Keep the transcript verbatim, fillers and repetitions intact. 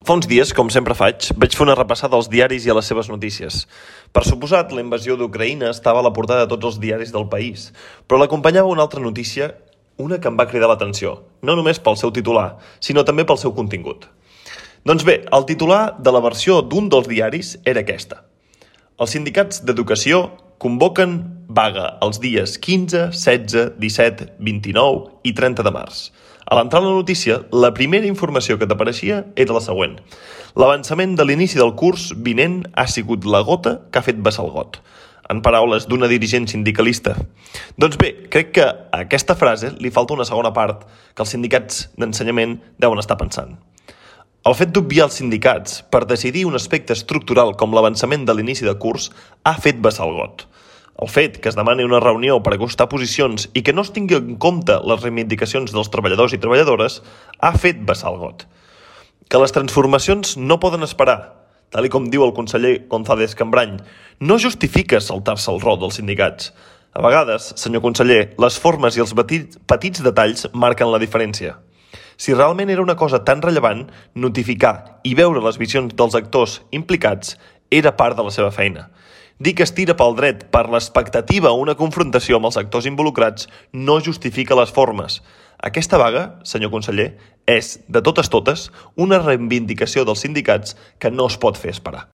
Fa uns dies, com sempre faig, vaig fer una repassada als diaris i a les seves notícies. Per suposat, la invasió d'Ucraïna estava a la portada de tots els diaris del país, però l'acompanyava una altra notícia, una que em va cridar l'atenció, no només pel seu titular, sinó també pel seu contingut. Doncs bé, el titular de la versió d'un dels diaris era aquesta. Els sindicats d'educació convoquen vaga els dies quinze, setze, disset, vint-i-nou i trenta de març. A l'entrar a la notícia, la primera informació que t'apareixia era la següent. L'avançament de l'inici del curs vinent ha sigut la gota que ha fet vessar el got. En paraules d'una dirigent sindicalista. Doncs bé, crec que a aquesta frase li falta una segona part que els sindicats d'ensenyament deuen estar pensant. El fet d'obviar els sindicats per decidir un aspecte estructural com l'avançament de l'inici de curs ha fet vessar el got. El fet que es demani una reunió per acostar posicions i que no es tingui en compte les reivindicacions dels treballadors i treballadores ha fet vessar el got. Que les transformacions no poden esperar, tal i com diu el conseller González Cambrany, no justifica saltar-se el rol dels sindicats. A vegades, senyor conseller, les formes i els petits, petits detalls marquen la diferència. Si realment era una cosa tan rellevant, notificar i veure les visions dels actors implicats era part de la seva feina. Dir que es tira pel dret per l'expectativa a una confrontació amb els actors involucrats no justifica les formes. Aquesta vaga, senyor conseller, és, de totes totes, una reivindicació dels sindicats que no es pot fer esperar.